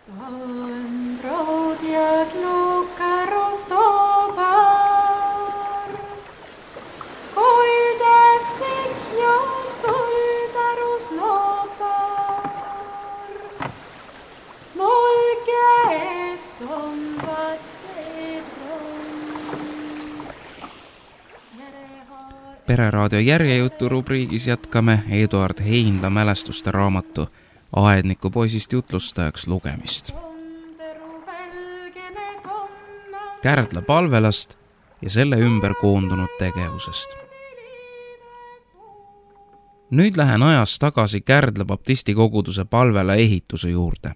Stałem brod jak nóżka roztobar, kujde wyknia skulda roznopar. Molge somvad sedron. Pereraadio järjejutu rubriigis jätkame Eduard Heinla mälestuste raamatu Aedniku poisist jutlustajaks lugemist. Kärdla palvelast ja selle ümber koondunud tegevusest. Nüüd lähen ajas tagasi Kärdla baptisti koguduse palvela ehituse juurde.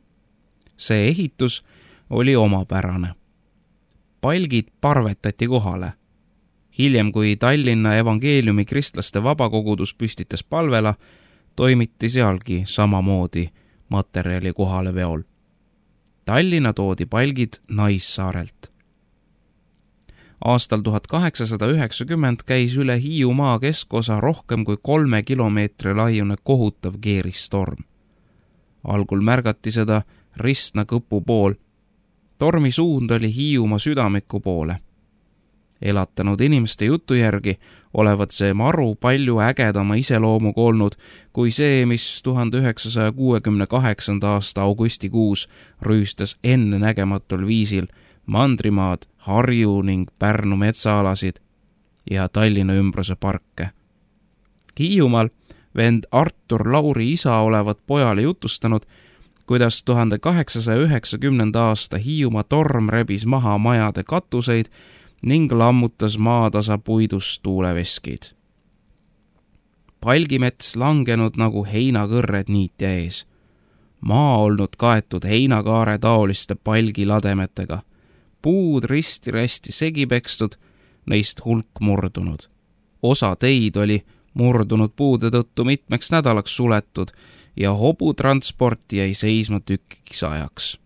See ehitus oli omapärane. Palgid parvetati kohale. Hiljem, kui Tallinna evangeeliumi kristlaste vabakogudus püstitas palvela, toimiti sealgi samamoodi materjali kohale veol. Tallinna toodi palgid Naissaarelt. Aastal 1890 käis üle Hiiumaa keskosa rohkem kui 3 kilomeetri laiune kohutav keeristorm. Algul märgati seda Ristna-Kõpu pool. Tormi suund oli Hiiumaa südamiku poole. Elatanud inimeste jutu järgi olevat see maru palju ägedama iseloomuga olnud kui see, mis 1968. aasta augustikuus rüüstas ennenägematul viisil Mandrimaad, Harju ning Pärnu metsaalasid ja Tallinna ümbruse parke. Hiiumaal vend Artur Lauri isa olevat pojale jutustanud, kuidas 1890. aasta Hiiumaa torm rebis maha majade katuseid ning lammutas maatasa puidust tuuleveskid. Palgimets langenud nagu heinakõrred niitja ees. Maa olnud kaetud heinakaare taoliste palgilademetega. Puud risti-rästi segi pekstud, neist hulk murdunud. Osa teid oli murdunud puude tõttu mitmeks nädalaks suletud ja hobutransport jäi seisma tükiks ajaks.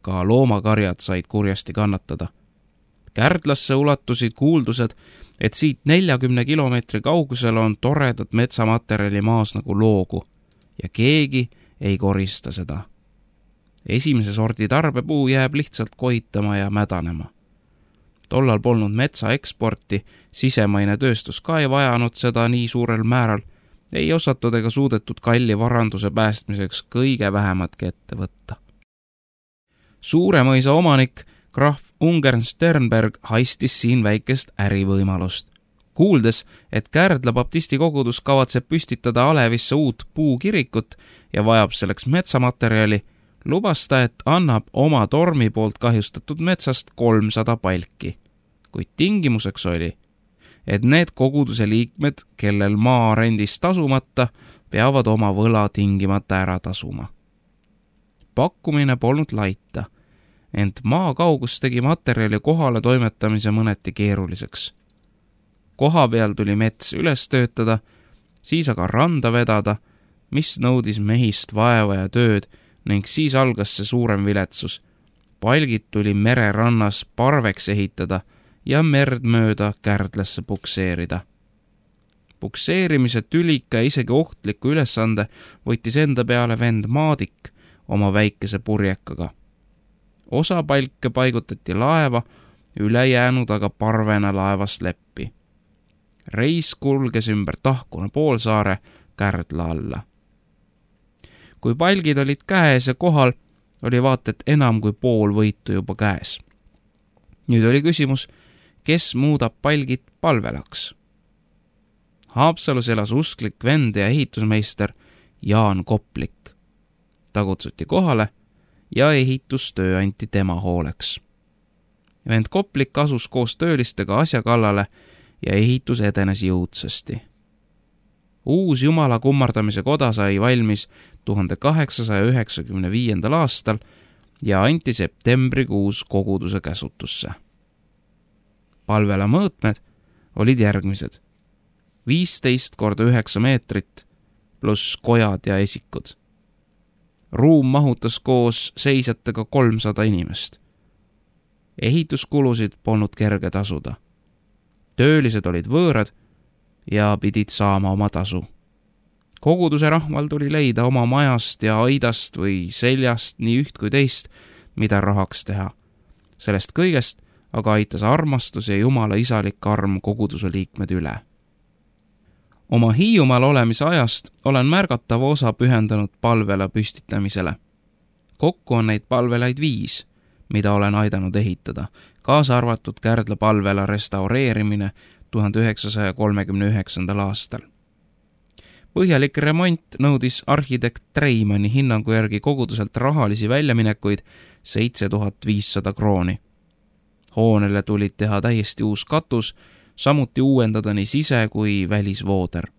Ka loomakarjad said kurjasti kannatada. Kärdlasse ulatusid kuuldused, et siit 40 kilomeetri kaugusel on toredat metsamaterjali maas nagu loogu ja keegi ei korista seda. Esimese sordi tarbepuu jääb lihtsalt koitama ja mädanema. Tollal polnud metsa eksporti, sisemaine tööstus ka ei vajanud seda nii suurel määral, ei osatud ega suudetud kalli varanduse päästmiseks kõige vähematki ette võtta. Suuremõisa omanik krahv Ungern Sternberg haistis siin väikest ärivõimalust. Kuuldes, et Kärdla baptisti kogudus kavatseb püstitada Alevisse uut puukirikut ja vajab selleks metsamaterjali, lubas ta, et annab oma tormi poolt kahjustatud metsast 300 palki. Kuid tingimuseks oli, et need koguduse liikmed, kellel maa rendis tasumata, peavad oma võla tingimata ära tasuma. Pakkumine polnud laita, ent maa kaugus tegi materjali kohale toimetamise mõneti keeruliseks. Koha peal tuli mets üles töötada, siis aga randa vedada, mis nõudis mehist vaeva ja tööd ning siis algas see suurem viletsus. Palgid tuli mererannas parveks ehitada ja merd mööda Kärdlasse pukseerida. Pukseerimise tülika ja isegi ohtliku ülesande võttis enda peale vend Maadik oma väikese purjekaga. Osa palke paigutati laeva, ülejäänud aga parvena laevast leppi. Reis kulges ümber Tahkuna poolsaare Kärdla alla. Kui palgid olid käes ja kohal, oli vaat et enam kui pool võitu juba käes. Nüüd oli küsimus, kes muudab palgid palvelaks? Haapsalus elas usklik vend ja ehitusmeister Jaan Koplik. Ta kutsuti kohale ja ehitustöö anti tema hooleks. Vend Koplik asus koos töölistega asja kallale ja ehitus edenes jõudsasti. Uus Jumala kummardamise koda sai valmis 1895. aastal ja anti septembrikuus koguduse käsutusse. Palvela mõõtmed olid järgmised: 15 korda 9 meetrit pluss kojad ja esikud. Ruum mahutas koos seisjatega 300 inimest. Ehituskulusid polnud kerge tasuda. Töölised olid võõrad ja pidid saama oma tasu. Koguduse rahval tuli leida oma majast ja aidast või seljast nii üht kui teist, mida rahaks teha. Sellest kõigest aga aitas armastus ja Jumala isalik arm koguduse liikmed üle. Oma Hiiumaal olemise ajast olen märgatava osa pühendanud palvela püstitamisele. Kokku on neid palvelaid 5, mida olen aidanud ehitada, kaasa arvatud Kärdla palvela restaureerimine 1939. aastal. Põhjalik remont nõudis arhitekt Treimanni hinnangu järgi koguduselt rahalisi väljaminekuid 7500 krooni. Hoonele tulid teha täiesti uus katus, samuti uuendada nii sise- kui välisvooder.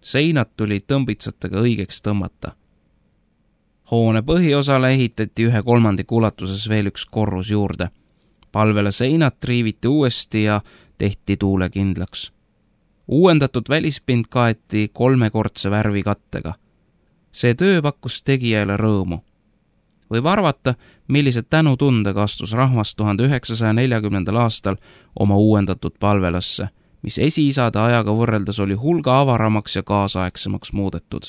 Seinad tulid tõmbitsatega õigeks tõmmata. Hoone põhiosale ehitati 1/3 ulatuses veel üks korrus juurde. Palvele seinad triiviti uuesti ja tehti tuulekindlaks. Uuendatud välispind kaeti 3-kordse värvikattega. See töö pakkus tegijale rõõmu. Võib arvata, millised tänutundega astus rahvas 1940. aastal oma uuendatud palvelasse, mis esiisade ajaga võrreldes oli hulga avaramaks ja kaasaegsemaks muudetud.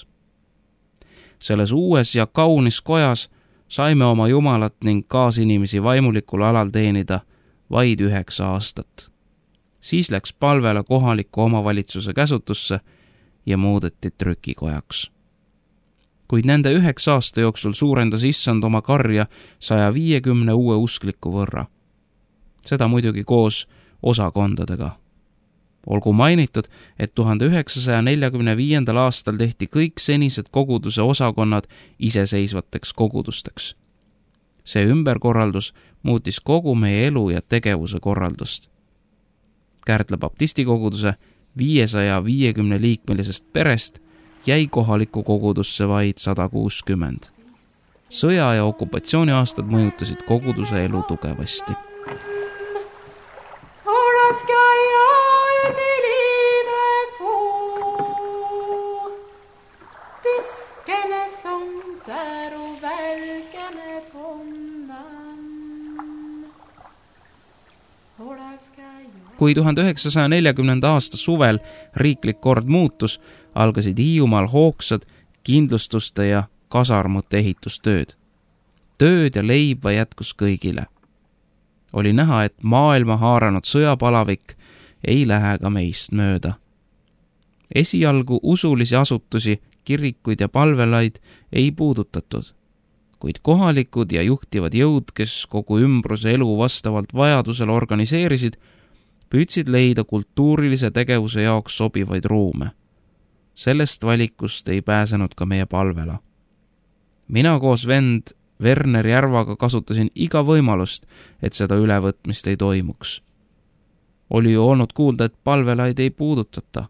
Selles uues ja kaunis kojas saime oma Jumalat ning kaasinimesi vaimulikul alal teenida vaid 9 aastat. Siis läks palvela kohaliku omavalitsuse käsutusse ja muudeti trükikojaks. Kuid nende 9 aasta jooksul suurendas issand oma karja 150 uue uskliku võrra. Seda muidugi koos osakondadega. Olgu mainitud, et 1945. aastal tehti kõik senised koguduse osakonnad iseseisvateks kogudusteks. See ümberkorraldus muutis kogu meie elu ja tegevuse korraldust. Kärdla baptistikoguduse 550 liikmelisest perest jäi kohalikku kogudusse vaid 160. Sõja- ja okupatsiooniaastad mõjutasid koguduse elu tugevasti. Kui 1940. aasta suvel riiklik kord muutus, algasid Hiiumaal hoogsad kindlustuste ja kasarmute ehitustööd. Tööd ja leiba jätkus kõigile. Oli näha, et maailma haaranud sõjapalavik ei lähe ka meist mööda. Esialgu usulisi asutusi, kirikuid ja palvelaid ei puudutatud, kuid kohalikud ja juhtivad jõud, kes kogu ümbruse elu vastavalt vajadusele organiseerisid, püüdsid leida kultuurilise tegevuse jaoks sobivaid ruume. Sellest valikust ei pääsenud ka meie palvela. Mina koos vend Werner Järvaga kasutasin iga võimalust, et seda ülevõtmist ei toimuks. Oli ju olnud kuulda, et palvelaid ei puudutata,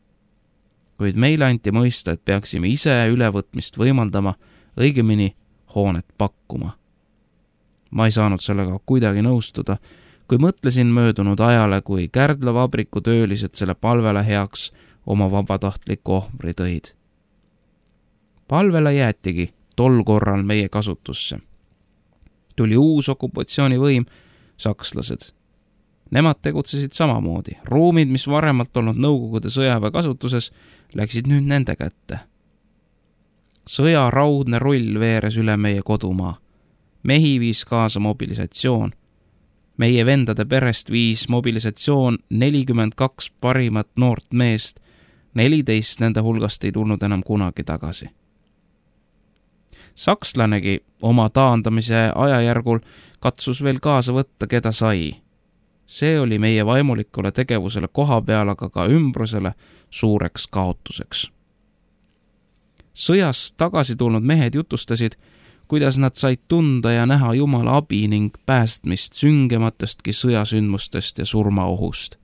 kuid meile anti mõista, et peaksime ise ülevõtmist võimaldama, õigemini hoonet pakkuma. Ma ei saanud sellega kuidagi nõustuda, kui mõtlesin möödunud ajale, kui Kärdla vabriku töölised selle palvela heaks oma vabatahtliku ohvri tõid. Palvela jäetigi tol korral meie kasutusse. Tuli uus okupatsioonivõim, sakslased. Nemad tegutsesid samamoodi. Ruumid, mis varemalt olnud Nõukogude sõjaväe kasutuses, läksid nüüd nende kätte. Sõja raudne rull veeres üle meie kodumaa. Mehi viis kaasa mobilisatsioon. Meie vendade perest viis mobilisatsioon 42 parimat noort meest, 14 nende hulgast ei tulnud enam kunagi tagasi. Sakslanegi oma taandamise ajajärgul katsus veel kaasa võtta, keda sai. See oli meie vaimulikule tegevusele koha peal, aga ka ümbrusele suureks kaotuseks. Sõjast tagasi tulnud mehed jutustasid, kuidas nad said tunda ja näha Jumala abi ning päästmist süngematestki sõjasündmustest ja surmaohust.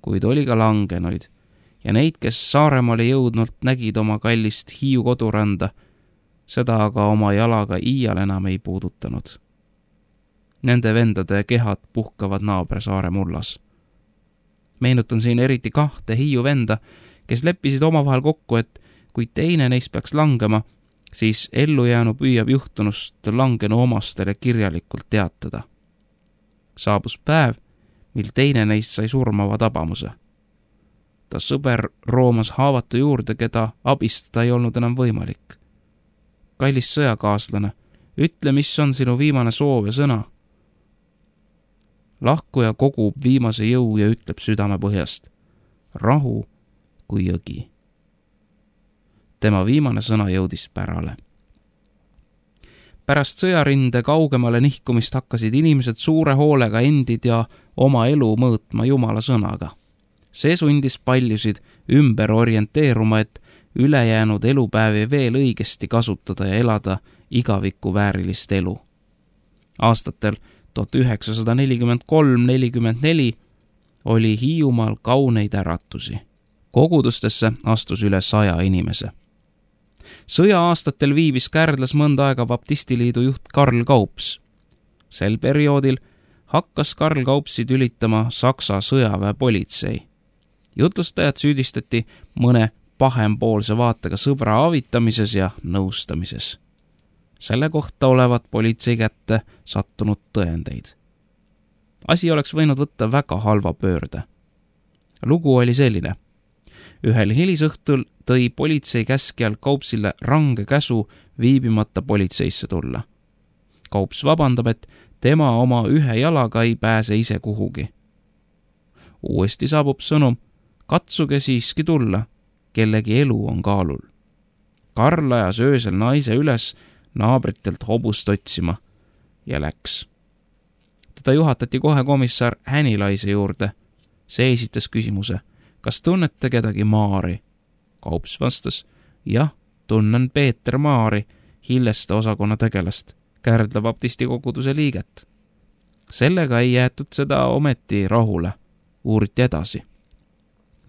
Kuid oli ka langenuid ja neid, kes Saaremaale jõudnult nägid oma kallist Hiiu koduranda, seda aga oma jalaga iial enam ei puudutanud. Nende vendade kehad puhkavad naabersaare mullas. Meenutan siin eriti 2 Hiiu venda, kes leppisid omavahel kokku, et kui teine neist peaks langema, siis ellujäänu püüab juhtunust langenu omastele kirjalikult teatada. Saabus päev, mil teine neist sai surmava tabamuse. ta sõber roomas haavatu juurde, keda abistada ei olnud enam võimalik. Kallis sõjakaaslane, ütle, mis on sinu viimane soov ja sõna. Lahkuja kogub viimase jõu ja ütleb südame põhjast. Rahu kui jõgi. Tema viimane sõna jõudis pärale. Pärast sõjarinde kaugemale nihkumist hakkasid inimesed suure hoolega endid ja oma elu mõõtma Jumala sõnaga. See sundis paljusid ümber orienteeruma, et ülejäänud elupäevi veel õigesti kasutada ja elada igaviku väärilist elu. Aastatel 1943-44 oli Hiiumaal kauneid äratusi. Kogudustesse astus üle 100 inimese. Sõja-aastatel viibis Kärdlas mõnda aega baptistiliidu juht Karl Kaups. Sel perioodil hakkas Karl Kaupsi tülitama Saksa sõjaväepolitsei. Jutlustajad süüdistati mõne pahempoolse vaatega sõbra avitamises ja nõustamises. Selle kohta olevat politsei kätte sattunud tõendeid. Asi oleks võinud võtta väga halva pöörde. Lugu oli selline. Ühel hilisõhtul tõi politsei käskjal Kaupsile range käsu viibimata politseisse tulla. Kaups vabandab, et tema oma ühe jalaga ei pääse ise kuhugi. Uuesti saabub sõnum, katsuge siiski tulla, kellegi elu on kaalul. Karl ajas öösel naise üles naabritelt hobust otsima ja läks. Teda juhatati kohe komissar Hänilaise juurde. See esitas küsimuse, kas tunnete kedagi Maari? Kaups vastas, jah, tunnen Peeter Maari, Hilleste osakonna tegelast, Kärdla baptisti koguduse liiget. Sellega ei jäetud seda ometi rahule, uuriti edasi.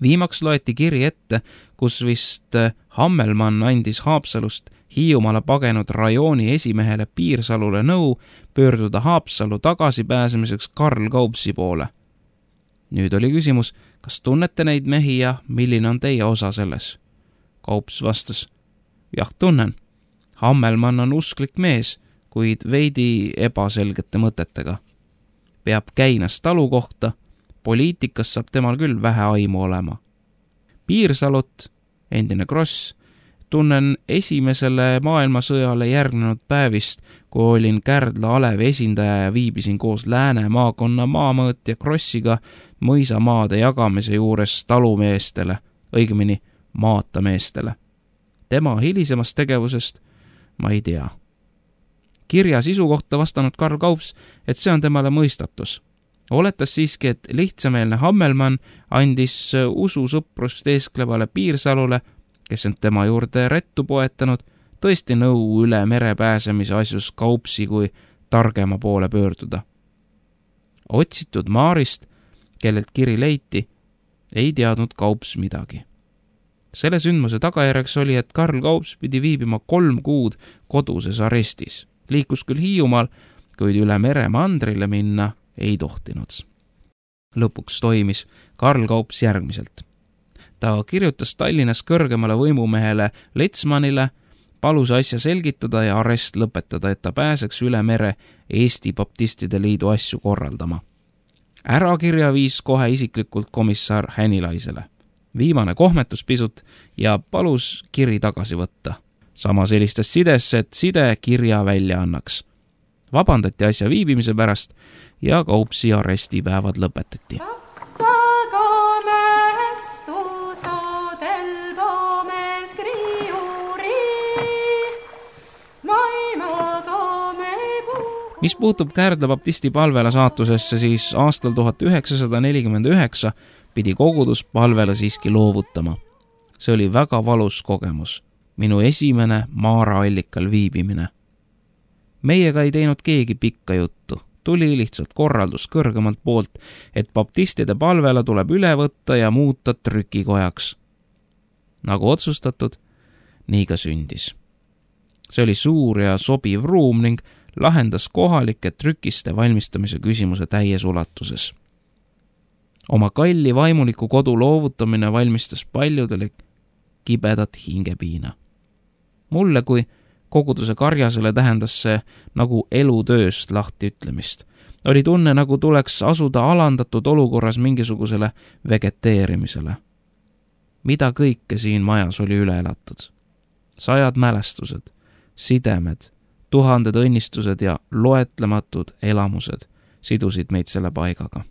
Viimaks loeti kiri ette, kus vist Hammelmann andis Haapsalust Hiiumaale pagenud rajooni esimehele Piirsalule nõu pöörduda Haapsalu tagasipääsemiseks Karl Kaupsi poole. Nüüd oli küsimus, kas tunnete neid mehi ja milline on teie osa selles? Kaups vastas, jah, tunnen. Hammelmann on usklik mees, kuid veidi ebaselgete mõtetega. Peab käinas talu kohta, poliitikas saab temal küll vähe aimu olema. Piirsalut, endine Kross, tunnen esimesele maailmasõjale järgnenud päevist, kui olin Kärdla Alevi esindaja ja viibisin koos Lääne maakonna maamõõtja Krossiga mõisamaade jagamise juures talumeestele, õigemini maatameestele. Tema hilisemast tegevusest ma ei tea. Kirja sisu kohta vastanud Karl Kaups, et see on temale mõistatus. Oletas siiski, et lihtsameelne Hammelmann andis ususõprust eesklevale Piirsalule, kes end tema juurde rettu poetanud, tõesti nõu üle mere pääsemise asjus Kaupsi kui targema poole pöörduda. Otsitud Maarist, kellelt kiri leiti, ei teadnud Kaups midagi. Selle sündmuse tagajärjeks oli, et Karl Kaups pidi viibima 3 kuud koduses arestis. Liikus küll Hiiumaal, kuid üle mere mandrile minna ei tohtinud. Lõpuks toimis Karl Kaups järgmiselt. Ta kirjutas Tallinnas kõrgemale võimumehele Letsmanile, palus asja selgitada ja arest lõpetada, et ta pääseks üle mere Eesti Baptistide Liidu asju korraldama. Ärakirja viis kohe isiklikult komissar Hänilaisele. Viimane kohmetus pisut ja palus kiri tagasi võtta. Samas helistas sidesse, et side kirja välja annaks. Vabandati asja viibimise pärast ja Kaupsi arestipäevad lõpetati. Mis puutub Kärdla baptisti palvela saatusesse, siis aastal 1949 pidi kogudus palvela siiski loovutama. See oli väga valus kogemus. Minu esimene Maara allikal viibimine. Meiega ei teinud keegi pikka juttu. Tuli lihtsalt korraldus kõrgemalt poolt, et baptistide palvela tuleb üle võtta ja muuta trükikojaks. Nagu otsustatud, nii ka sündis. See oli suur ja sobiv ruum ning lahendas kohalike trükiste valmistamise küsimuse täies ulatuses. Oma kalli vaimuliku kodu loovutamine valmistas paljudele kibedat hingepiina. Mulle kui koguduse karjasele tähendas see nagu elutööst lahti ütlemist. Oli tunne, nagu tuleks asuda alandatud olukorras mingisugusele vegeteerimisele. mida kõike siin majas oli üle elatud. 100 mälestused, sidemed, 1000 õnnistused ja loetlematud elamused sidusid meid selle paigaga.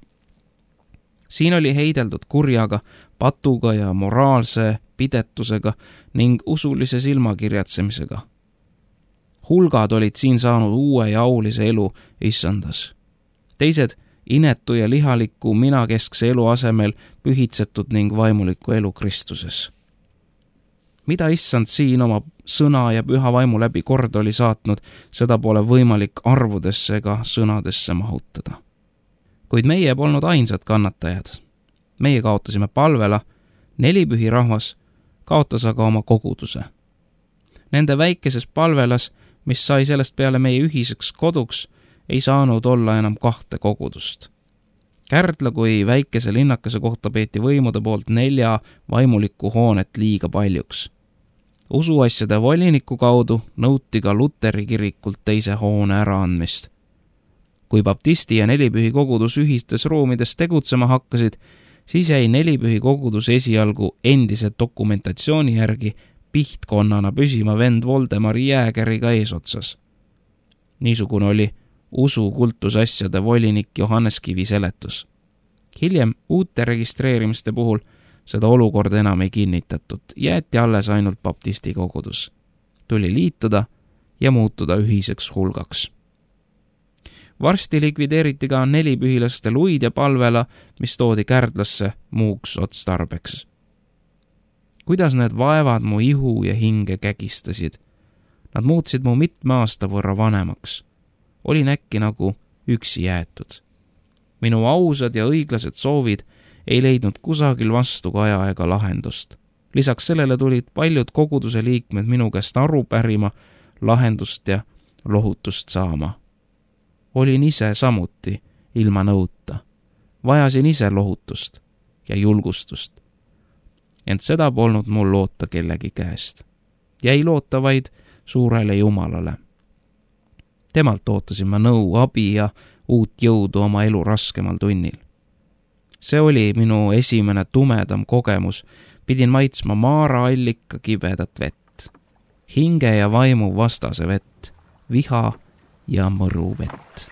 Siin oli heideldud kurjaga, patuga ja moraalse pidetusega ning usulise silmakirjatsemisega. Hulgad olid siin saanud uue ja aulise elu issandas. Teised inetu ja lihaliku minakeskse elu asemel pühitsetud ning vaimuliku elu Kristuses. Mida issand siin oma sõna ja püha vaimu läbi kord oli saatnud, seda pole võimalik arvudesse ega sõnadesse mahutada. Kuid meie polnud ainsad kannatajad. Meie kaotasime palvela, 4 pühi rahvas kaotas aga oma koguduse. Nende väikeses palvelas, mis sai sellest peale meie ühiseks koduks, ei saanud olla enam 2 kogudust. Kärdla kui väikese linnakese kohta peeti võimude poolt 4 vaimulikku hoonet liiga paljuks. Usuasjade voliniku kaudu nõuti ka Luteri kirikult teise hoone äraandmist. Kui baptisti ja 4 pühi kogudus ühistes ruumides tegutsema hakkasid, siis jäi 4 pühi kogudus esialgu endise dokumentatsiooni järgi pihtkonnana püsima vend Voldemari Jäägeriga eesotsas. Niisugune oli usukultusasjade volinik Johannes Kivi seletus. Hiljem uute registreerimiste puhul seda olukorda enam ei kinnitatud, jäeti alles ainult baptisti kogudus. Tuli liituda ja muutuda ühiseks hulgaks. Varsti likvideeriti ka 4 pühilaste luid ja palvela, mis toodi Kärdlasse muuks otstarbeks. Kuidas need vaevad mu ihu ja hinge kägistasid? Nad muutsid mu mitme aasta võrra vanemaks. Olin äkki nagu üksi jäetud. Minu ausad ja õiglased soovid ei leidnud kusagil vastu kaja ega lahendust. Lisaks sellele tulid paljud koguduse liikmed minu käest aru pärima, lahendust ja lohutust saama. Olin ise samuti ilma nõuta. Vajasin ise lohutust ja julgustust. Ent seda polnud mul loota kellegi käest. Jäi loota vaid suurele Jumalale. Temalt ootasin ma nõu, abi ja uut jõudu oma elu raskemal tunnil. See oli minu esimene tumedam kogemus. Pidin maitsma maara allika kibedat vett. Hinge ja vaimu vastase vett. Viha ja mõru vett.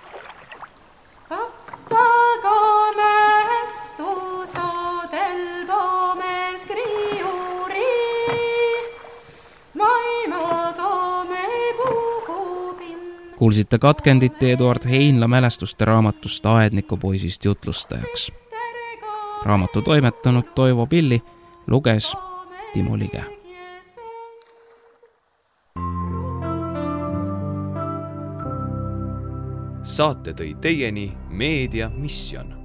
Kuulsite katkendit Eduard Heinla mälestuste raamatust Aednikupoisist jutlustajaks. Raamatu toimetanud Toivo Pilli, luges Timo Lige. Saate tõi teieni Meedia Mission.